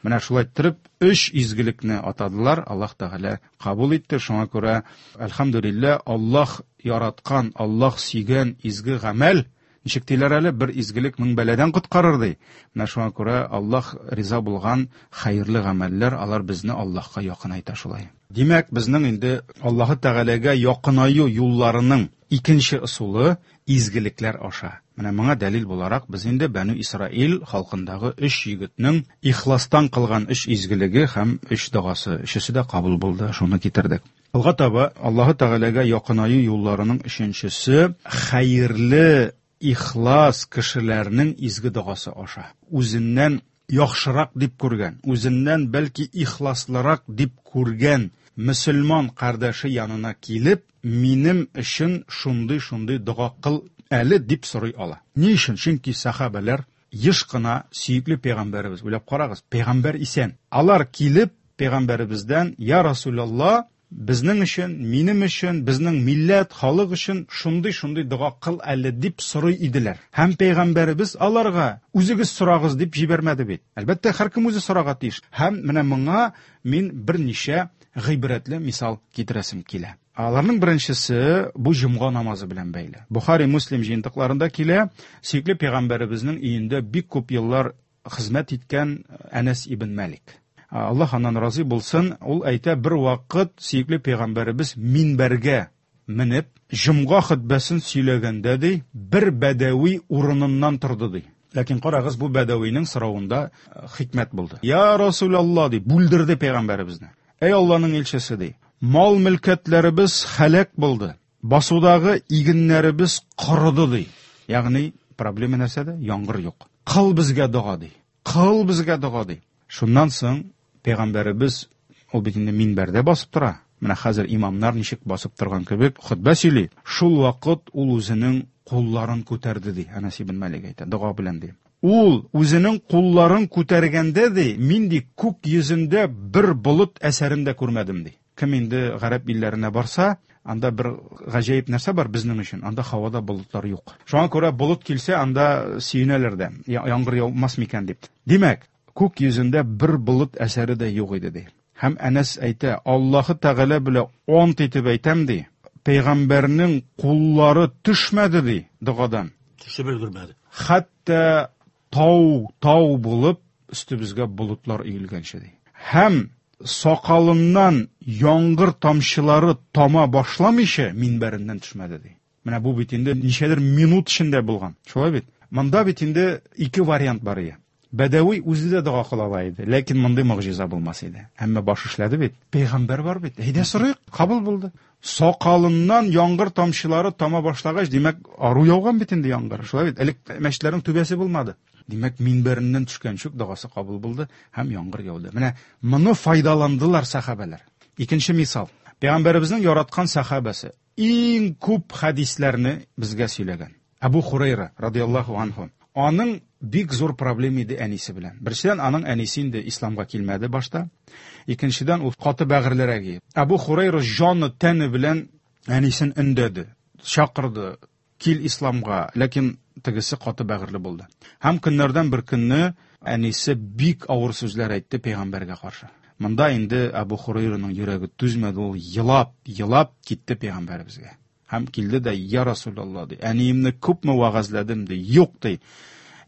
Менә шулай иттереп өч изгелекне атадылар, Аллаһ Тәгалә кабул итте. Шуңа күрә, әлхәмдүлилләһ, Аллаһ яраткан, Аллаһ сөйгән изге гамәл, ничек диләр әле, бер изгелек мең бәладән коткарыр, ди. Менә шуңа күрә Аллаһ риза булган хәерле гамәлләр, алар безне Аллаһка якынайта шулай. Димәк, безнең инде Аллаһы Тәгаләгә якынаю юлларының икенче ысулы изгелекләр аша. Менә моңа дәлил буларак без инде Бәнү Исраил халкындагы өч егетнең ихластан кылган өч изгелеге һәм өч догасы, өчесе дә кабул булды, шуны китердек. Алга таба Аллаһы Тәгаләгә якынаю юлларының өченчесе хәерле, ихлас кешеләрнең изге догасы аша. Үзеннән яхшырак дип күргән, үзеннән бәлки ихласлырак дип күргән мөселман кардәше янына килеп, минем өчен шундый-шундый дога кыл әле дип сорый ала. Ни өчен? Чөнки сәхабәләр еш кына сөекле пәйгамбәребез, уйлап карагыз, пәйгамбәр исән. Алар килеп пәйгамбәребездән, Я Расулалла, безнең өчен, минем өчен, безнең милләт, халык өчен шундый-шундый дога кыл әле дип сорый иделәр. Һәм пәйгамбәребез аларга үзегез сорагыз дип җибәрмәде бит. Әлбәттә, һәркем үзе сорарга тиеш. Һәм менә моңа мин берничә гыйбрәтле мисал китерәсем килә. Аларның беренчесе бу җомга намазы белән бәйле. Бухари, Муслим җыентыкларында килә, сөекле пәйгамбәребезнең өендә бик күп еллар хезмәт иткән Әнәс ибн Мәлик. Аллаһ аннан разый булсын, ул әйтә, бер вакыт сөекле пәйгамбәребез минбәргә менеп, җомга хөтбәсен сөйләгәндә, ди, бер бәдәви урыныннан торды, ди. Ләкин карагыз, бу бәдәвинең соравында хикмәт булды. Я Расулалла, ди, бүлдерде пәйгамбәребезне. Әй Алланың илчесе, ди, мал-мөлкәтләребез һәлак булды, басудагы игеннәребез корыды, ди. Ягъни, проблема нәрсәдә? Яңгыр юк. Кыл безгә дога, ди. Кыл безгә дога, ди. Шуннан соң пәйгамбәребез, ул бит инде минбәрдә басып тора. Менә хәзер имамнар ничек басып торган кебек хотбә сөйли. Шул вакыт ул үзенең кулларын күтәрде, ди. Әнәс ибн Малик әйтә, дога белән ди. Ул үзенең кулларын күтәргәндә ди, мин ди күк йөзендә бер болыт әсәрен дә күрмәдем ди. Кем инде гарәп илләренә барса, анда бер гаҗәеп нәрсә бар безнең өчен, анда һавада болытлар юк. Шуңа күрә болыт килсә, анда сөенәләр дә, яңгыр яумас микән дип. Димәк, күк йөзендә бер болыт әсәре дә юк иде ди. Һәм Әнәс әйтә, Аллаһы Тәгалә белән ант итеп әйтәм ди, пәйгамбәрнең куллары төшмәде ди догадан. Төшеп өлгермәде. Хәтта тау, тау булып өстебезгә болытлар өелгәнче ди. Һәм сакалыннан яңгыр тамчылары тама башламыйча минбәреннән төшмәде ди. Менә бу бит инде ничәдер минут эчендә булган. Шулай бит? Монда бит инде ике вариант бар иде. Бәдәви үзе дә дога кыла ала иде, ләкин мондый могҗиза булмас иде. Әмма баш эшләде бит. Пәйгамбәр бар бит. Әйдә сорыйк, кабул булды. Сакалыннан яңгыр тамчылары тама башлагач, димәк, ару яуган бит инде яңгыр. Шулай бит? Элек мәчетләрнең түбәсе булмады. Димәк, минбәреннән төшкәнче үк догасы кабул булды һәм яңгыр яуды. Менә моны файдаландылар сәхабәләр. Икенче мисал. Пәйгамбәребезнең яраткан сәхабәсе иң күп хәдисләрне безгә сөйләгән. Әбу Хурайра радиаллаһу анһу. Аның бик зур проблема иде әнисе белән. Беренчедән, аның әнисе инде исламга килмәде башта. Икенчедән, ул каты бәгырьлерәк иде. Әбу Хурайра җаны тәне белән әнисен өндәде, чакырды, кил исламга, ләкин тегесе каты бәгырьле булды. Һәм көннәрдән бер көнне әнисе бик авыр сүзләр әйтте пәйгамбәргә каршы. Монда инде Әбу Хурайраның йөрәге түзмәде, ул елап, елап китте пәйгамбәребезгә. Һәм килде дә, я Расулалла, ди, әниемне күпме вәгазьләдем, ди, юк, ди.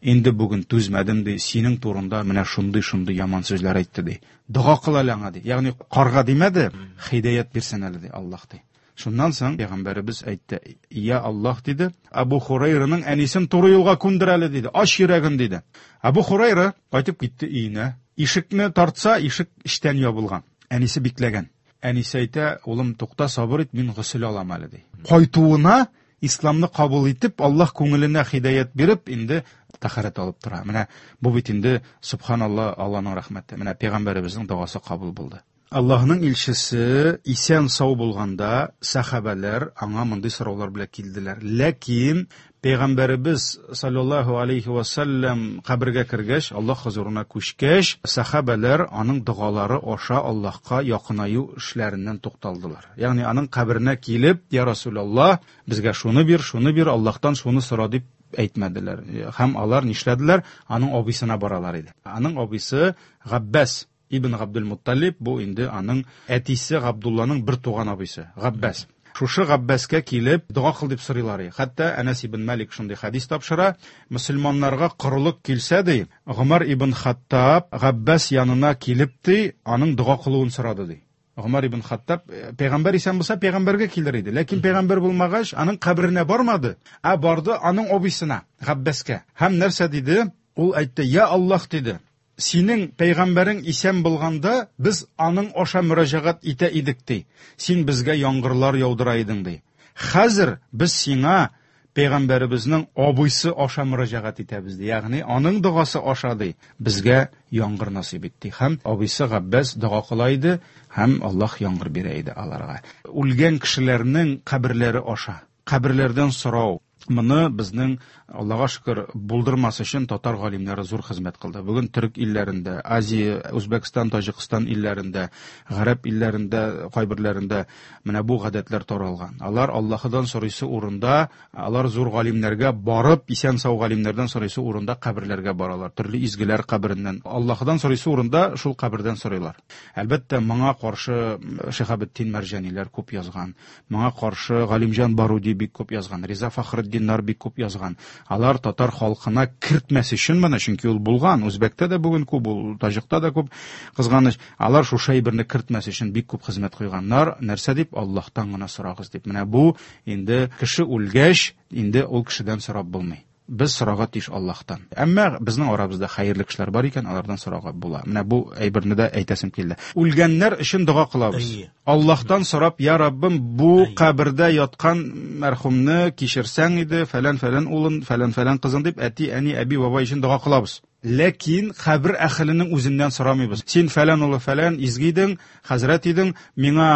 Инде бүген түзмәдем, ди, синең турында менә шундый-шундый яман сүзләр әйтте, ди. Дога кыл әле аңа, ди. Ягъни карга димәде, хидәят бирсен әле, ди, Аллаһ, ди. Шуннан соң пәйгамбәребез әйтте, я Аллаһ, диде, Әбу Хурайраның әнисен туры юлга күндер әле, диде, ач йөрәген, диде. Әбу Хурайра кайтып китте өенә. Ишекне тартса, ишек эчтән ябылган. Әнисе бикләгән. Әнисе әйтә, улым, тукта, сабыр ит, мин госел алам әле, ди. Кайтуына исламны кабул итеп, Аллаһ күңеленә хидәят биреп, инде тәһарәт алып тора. Менә бу бит инде, субханалла, Аллаһның рәхмәте. Менә пәйгамбәребезнең догасы кабул булды. Аллаһның илчесе исән сау булганда, сәхабәләр аңа мондый сораулар белән килделәр. Ләкин пәйгамбәребез саллаллаһу алейхи ва саллям кабергә кергәч, Аллаһ хозурына күчкәч, сәхабәләр аның догалары аша Аллаһка якынаю эшләреннән тукталдылар. Ягъни аның каберенә килеп, я Расулаллаһ, безгә шуны бир, шуны бир, Аллаһтан шуны сора дип әйтмәделәр. Һәм алар нишләделәр? Аның абыйсына баралар иде. Аның абыйсы Габбас ибн Габдул-Мутталиб, бу инде аның әтисе Габдулланың бер туган абыйсы, Габбас. Шушы Габбаска килеп, дога кыл дип сорыйлар. Хәтта Әнәс ибн Малик шундый хәдис тапшыра, мөселманнарга корылык килсә ди, Гомар ибн Хаттаб Габбас янына килеп ди, аның дога кылуын сорады ди. Гомар ибн Хаттаб пәйгамбәр исән булса пәйгамбәргә килер иде. Ләкин пәйгамбәр булмагач, аның каберенә бармады, ә барды аның абыйсына, Габбаска. Һәм нәрсә диде? Ул әйтте: "Я Аллаһ" диде. Синең пәйгамбәрең исән булганда, без аның аша мөрәҗәгать итә идек, ди. Син безгә яңгырлар яудыра идең, ди. Хәзер без сиңа пәйгамбәребезнең абыйсы аша мөрәҗәгать итәбез, ди. Ягъни аның догасы аша, ди, безгә яңгыр насыйп ит, ди. Һәм абыйсы Габбас дога кыла иде, һәм Аллаһ яңгыр бирә иде аларга. Үлгән кешеләрнең каберләре аша, каберләрдән сорау. Моны безнең, Аллага шөкер, булдырмас өчен татар галимнәре зур хезмәт кылды. Бүген төрек илләрендә, Азия, Үзбәкстан, Таҗикстан илләрендә, гарәп илләрендә, кайберләрендә менә бу гадәтләр таралган. Алар Аллаһыдан сорыйсы урында, алар зур галимнәргә барып, исән-сау галимнәрдән сорыйсы урында каберләргә баралар. Төрле изгеләр кабереннән. Аллаһыдан сорыйсы урында шул кабердән сорыйлар. Әлбәттә, моңа каршы Шиһабетдин Мәрҗаниләр күп язган. Моңа каршы Галимҗан Баруди бик күп язган, Риза Фахретдиннар бик күп язган. Алар татар халкына кертмәс өчен моны, чөнки ул булган, үзбәктә дә бүген күп, ул таҗикта да күп, кызганыч. Алар шушы әйберне кертмәс өчен бик күп хезмәт куйганнар. Нәрсә дип? Аллаһтан гына сорагыз дип. Менә бу инде кеше үлгәч, инде ул кешедән сорап булмый. Без сорарга тиеш Аллаһтан. Әмма безнең арабызда хәерле кешеләр бар икән, алардан сорарга була. Менә бу әйберне дә әйтәсем килде. Үлгәннәр өчен дога кылабыз. Аллаһтан сорап, я Раббым, бу кабердә яткан мәрхүмне кичерсәң иде, фәлән-фәлән улын, фәлән-фәлән кызын дип, әти, әни, әби, бабай өчен дога кылабыз. Ләкин кабер әһеленең үзеннән сорамыйбыз. Син фәлән улы фәлән, изге идең, хәзрәт идең, миңа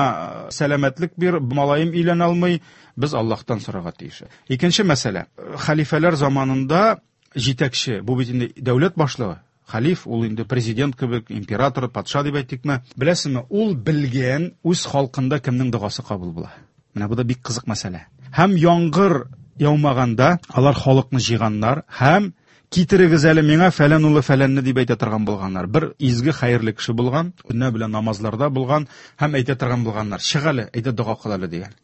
сәламәтлек бир, малаем өйләнә алмый. Без Аллаһтан сорарга тиеш. Икенче мәсьәлә. Хәлифәләр заманында җитәкче, бу бит инде дәүләт башлыгы, хәлиф, ул инде президент кебек, император, патша дип әйтикме? Беләсезме, ул белгән үз халкында кемнең догасы кабул була. Менә бу да бик кызык мәсьәлә. Һәм яңгыр яумаганда алар халыкны җыйганнар һәм китерегез әле миңа фәлән улы фәләнне дип әйтә торган булганнар. Бер изге хәерле кеше булган, көннәр белән намазларда булган һәм әйтә торган булганнар. Чык әле, әйдә дога кыл әле дигән.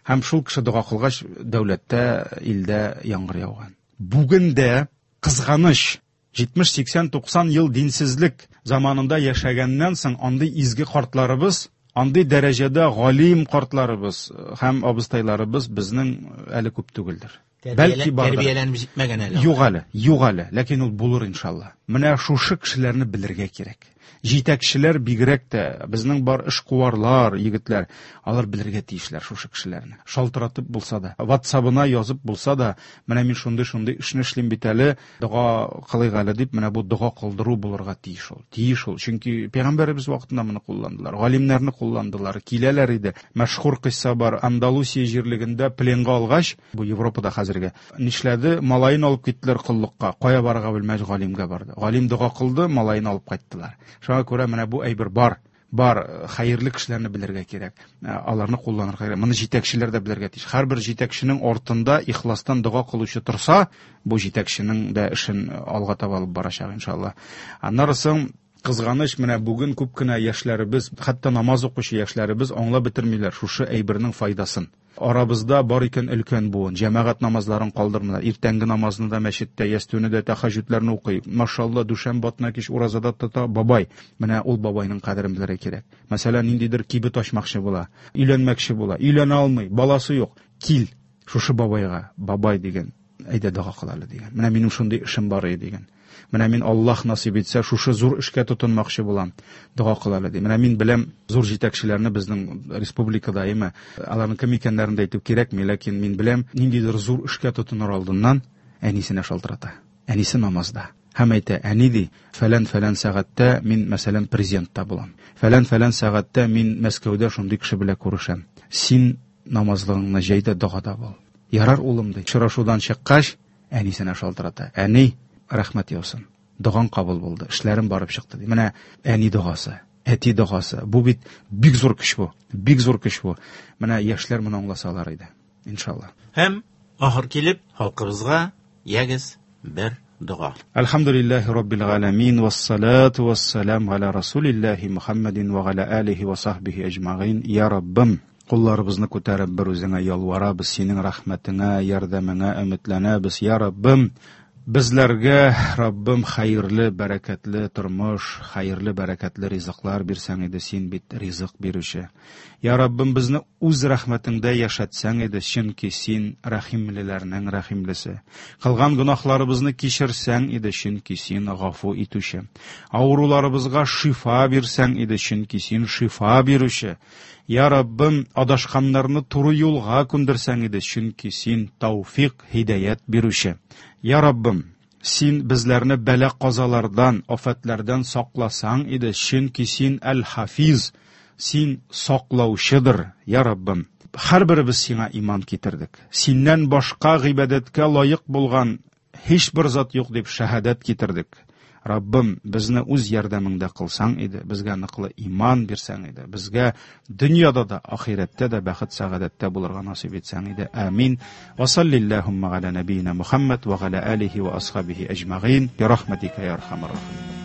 Һәм шул кеше дога кылгач, дәүләттә, илдә яңгыр яуган. Бүген дә кызганыч, 70, 80, 90 ел динсезлек заманында яшәгәннән соң андый изге картларыбыз, андый дәрәҗәдә галим картларыбыз һәм абыстайларыбыз безнең әле күп түгелдер. Бәлки бардыр. Тәрбияләнеп җитмәгән әле. Юк әле, юк әле, ләкин ул булыр иншалла. Менә шушы кешеләрне белергә кирәк. Җитәкчеләр бигрәк тә, безнең бар эшкуарлар, егетләр, алар белергә тиешләр шушы кешеләрне. Шалтыратып булса да, WhatsApp-ына язып булса да, менә мин шундый-шундый эшне эшлим бит әле, дога кылыйк әле дип, менә бу дога кылдыру булырга тиеш ул. Тиеш ул, чөнки пәйгамбәребез вакытында моны кулландылар, галимнәрне кулландылар, киләләр иде. Мәшһүр кыйсса бар, Андалусия җирлегендә пленга алгач, бу Европада хәзерге, нишләде? Малаен алып киттеләр коллыкка. Кая барырга белмәс, галимгә барды. Галим дога кылды, малаен алып кайттылар. Шуңа күрә менә бу әйбер бар. Бар, хәерле кешеләрне белергә кирәк. Аларны кулланырга кирәк. Моны җитәкчеләр дә белергә тиеш. Һәрбер җитәкченең артында ихластан дога кылучы торса, бу җитәкченең дә эшен алга таба алып барачак иншалла. Аннары соң кызганыч, менә бүген күп кенә яшьләребез, хәтта намаз укучы яшьләребез аңлап бетермиләр шушы әйбернең файдасын. Арабызда бар икән өлкән буын, җәмәгать намазларын калдырмыйлар. Иртәнге намазны да мәчеттә, ястүне дә, тәһәҗҗүдләрне укый. Машалла, дүшәмбе атна кич уразада тота бабай. Менә ул бабайның кадерен белергә кирәк. Мәсәлән, ниндидер кибет ачмакчы була, өйләнмәкче була, өйләнә алмый, баласы юк. Кил шушы бабайга, бабай дигән, әйдә дога кыл әле дигән. Менә минем шундый эшем бар иде дигән. Менә мин Аллаһ насыйп итсә, шушы зур эшкә тотынмакчы булам. Дога кыл әле ди. Менә мин беләм зур җитәкчеләрне безнең республикада, әйме, аларның кем икәннәрен дә әйтү кирәкми, ләкин мин беләм, ниндидер зур эшкә тотыныр алдыннан әнисенә шалтырата. Әнисе намазда. Һәм әйтә, әни ди, фәлән-фәлән сәгатьтә мин, мәсәлән, президентта булам. Фәлән-фәлән сәгатьтә мин Мәскәүдә шундый кеше белән күрешәм. Син намазлыгыңны җәй дә догада бул. Ярар, улым ди. Очрашудан чыккач, әнисенә шалтырата. Әни, рәхмәт яусын. Догаң кабул булды, эшләрем барып чыкты ди. Менә әни догасы, әти догасы. Бу бит бик зур көч бу. Бик зур көч бу. Менә яшьләр моны аңласалар иде. Иншалла. Һәм ахыр килеп халкыбызга ягез бер дога. Әлхәмдүлилләһи раббил галәмин, вассалату вассалам аля расулиллаһи Мухаммадин ва аля алихи ва сахбихи әҗмәгыйн. Я Раббым, кулларыбызны күтәреп бер үзеңә ялварабыз, синең рәхмәтеңә, ярдәмеңә өметләнәбез. Я Раббым, безләргә, Раббым, хәерле, бәрәкәтле тормыш, хәерле, бәрәкәтле ризыклар бирсәң иде, син бит ризык бирүче. Я Раббым, безне үз рәхмәтеңдә яшәтсәң иде, чөнки син рәхимлеләрнең рәхимлесе. Кылган гөнаһларыбызны кичерсәң иде, чөнки син гафу итүче. Авыруларыбызга шифа бирсәң иде, чөнки син шифа бирүче. Я Раббым, адашканнарны туры юлга күндерсәң иде, чөнки син тауфик, һидаят бирүче. Я Раббым, син безләрне бәла-казалардан, афәтләрдән сакласаң иде, чөнки син әл-Хафиз, син саклаучыдыр. Я Раббым, һәрберебез сиңа иман китердек. Синнән башка гыйбадәткә лаек булган һичбер зат юк дип шәһадәт китердек. Раббым, безне үз ярдәмеңдә кылсаң иде, безгә ныклы иман бирсәң иде, безгә дөньяда да, ахирәттә дә бәхет сәгадәттә булырга насыйп итсәң иде. Амин. Ва саллиллахумма аля набийна Мухаммад ва аля алихи ва асхабихи әҗмәгыйн. Би рахматика я архамар рахимин.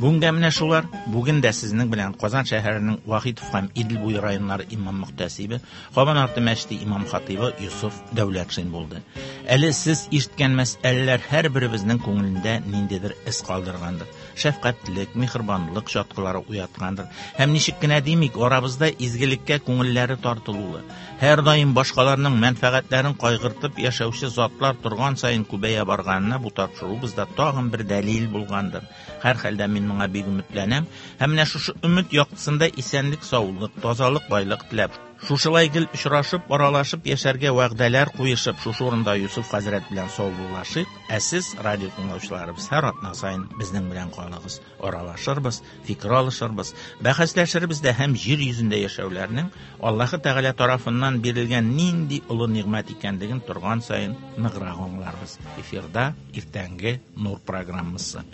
Бүгенгә менә шулар. Бүген дә сезнең белән Казан шәһәренең Вахитов һәм Идел буе районнары имам мөхтәсибе, Кабан арты мәчете имам хатибы Йосыф Дәүләтшин булды. Әле сез ишеткән мәсьәләләр һәрберебезнең күңелендә ниндидер эз калдыргандыр. Шәфкатьлек, миһербанлык чаткылары уяткандыр. Һәм ничек кенә димик, арабызда изгелеккә күңелләре тартылулы, һәр даим башкаларның мәнфәгатьләрен кайгыртып яшәүче затлар торган саен күбәя барганына бу тапшыруыбызда тагын бер дәлил булгандыр. Һәр хәлдә мин моңа бик өметләнәм. Һәм менә шушы өмет яктысында исәнлек, саулык, тазалык, байлык теләп, Шушылай гел очрашып, аралашып яшәргә вәгъдәләр куешып, шушы урында Юсуф хәзрәт белән саубуллашыйк. Ә сез, радио тыңлаучыларыбыз, һәр атна саен безнең белән калыгыз. Аралашырбыз, фикер алышырбыз, бәхәсләшербез дә һәм җир йөзендә яшәүләрнең Аллаһы Тәгалә тарафыннан бирелгән нинди олы нигъмәт икәнлеген торган саен ныграк аңларбыз. Эфирда иртәнге Нур программасы.